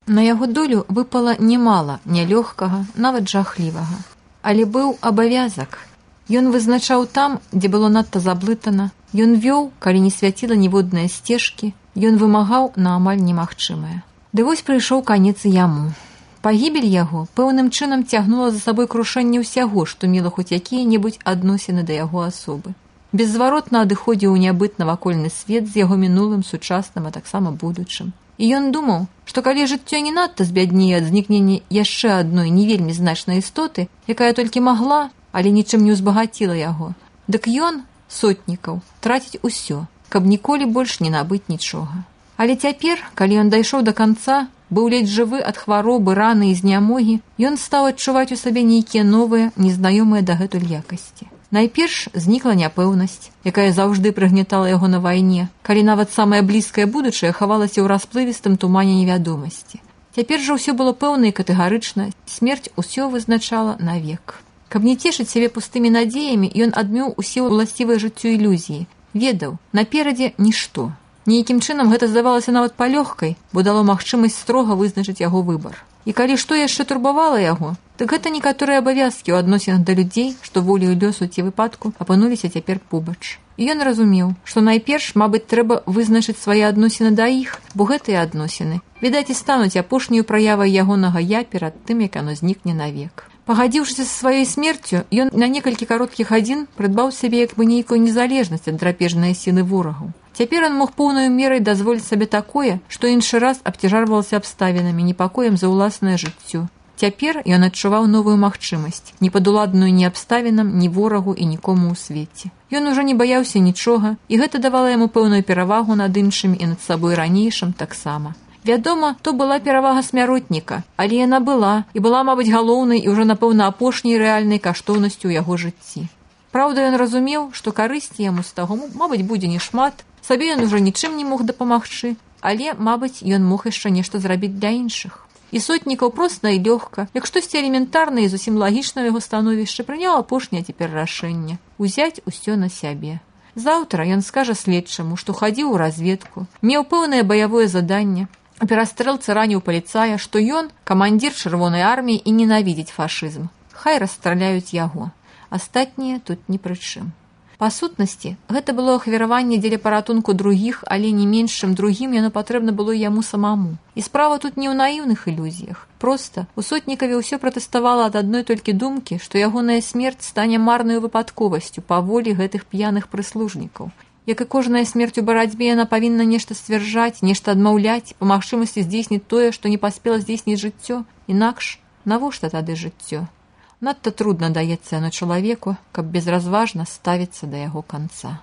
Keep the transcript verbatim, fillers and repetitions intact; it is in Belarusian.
На яго долю выпала немала нялёгкага, нават жахлівага. Але быў абавязак. Ён вызначаў там, дзе было надта заблытана, ён вёў, калі не свяціла ніводныя сцежкі, ён вымагаў на амаль немагчымае. Ды вось прыйшоў канец і яму. Пагібель яго пэўным чынам цягнула за сабой крушэнне ўсяго, што мела хоць якія-небудзь адносіны да яго асобы. Беззваротна адыходзіў у нябыт навакольны свет з яго мінулым, сучасным, а таксама будучым. І ён думаў, што калі жыццё не надта збяднее ад знікнення яшчэ адной не вельмі значнай істоты, якая толькі магла, але нічым не ўзбагаціла яго, дык ён, Сотнікаў, траціць усё, каб ніколі больш не набыць нічога. Але цяпер, калі ён дайшоў да канца, быў ледзь жывы ад хваробы, раны і знямогі, ён стаў адчуваць у сабе нейкія новыя, незнаёмыя дагэтуль якасці. Найперш знікла няпэўнасць, якая заўжды прыгнятала яго на вайне, калі нават самае блізкае будучае хавалася ў расплывістым тумане невядомасці. Цяпер жа ўсё было пэўна і катэгарычна, смерць усё вызначала навек. Каб не цешыць сябе пустымі надзеямі, ён адмёў усе ўласцівыя жыццю ілюзіі, ведаў, наперадзе нішто. Нейкім чынам гэта здавалася нават палёгкай, бо дало магчымасць строга вызначыць яго выбар. І калі што яшчэ турбавала яго, дык гэта некаторыя абавязкі ў адносінах да людзей, што волею лёсу ці выпадку апынуліся цяпер побач. І ён разумеў, што найперш, мабыць, трэба вызначыць свае адносіны да іх, бо гэтыя адносіны, відаць, і стануць апошняю праявай ягонага я перад тым, як яно знікне навек. Пагадзіўшыся са сваёй смерцю, ён на некалькі кароткіх гадзін прыдбаў сабе як бы нейкую незалежнасць ад драпежнай сілы ворагаў. Цяпер ён мог поўнаю мерай дазволіць сабе такое, што іншы раз абцяжарвалася абставінамі, непакоем за ўласнае жыццё. Цяпер ён адчуваў новую магчымасць, не падуладную ні абставінам, ні ворагу і нікому ў свеце. Ён ужо не баяўся нічога, і гэта давала яму пэўную перавагу над іншымі і над сабой ранейшым таксама. Вядома, то была перавага смяротніка, але яна была, і была, мабыць, галоўнай і ўжо, напэўна, апошняй рэальнай каштоўнасцю ў яго жыцці. Праўда, ён разумеў, што карысці яму з таго, мабыць, будзе не шмат, сабе ён ужо нічым не мог дапамагчы, але, мабыць, ён мог яшчэ нешта зрабіць для іншых. І Сотнікаў проста і лёгка, як штосьці элементарна і зусім лагічна ў яго становішча, прыняў апошняе цяпер рашэнне – узяць усё на сябе. Заўтра ён скажа следчаму, што хадзіў у разведку, меў пэўнае баявое заданне, а перастрэлцы раніў паліцая, што ён – камандзір чырвонай арміі і ненавідзіць фашызм. Хай расстраляюць яго. Астатнія тут ні пры чым. Па сутнасці, гэта было ахвяраванне дзеля паратунку другіх, але не менш, чым другім яно патрэбна было яму самому. І справа тут не ў наіўных ілюзіях. Проста у Сотнікаве ўсё пратэставала ад адной толькі думкі, што ягоная смерць стане марнаю выпадковасцю па волі гэтых п'яных прыслужнікаў. Як і кожная смерць у барацьбе, яна павінна нешта сцвярджаць, нешта адмаўляць, па магчымасці здзейсніць тое, што не паспела здзейсніць жыццё. Інакш, навошта тады жыццё? Надта трудна даецца яно чалавеку, каб безразважна ставіцца да яго канца.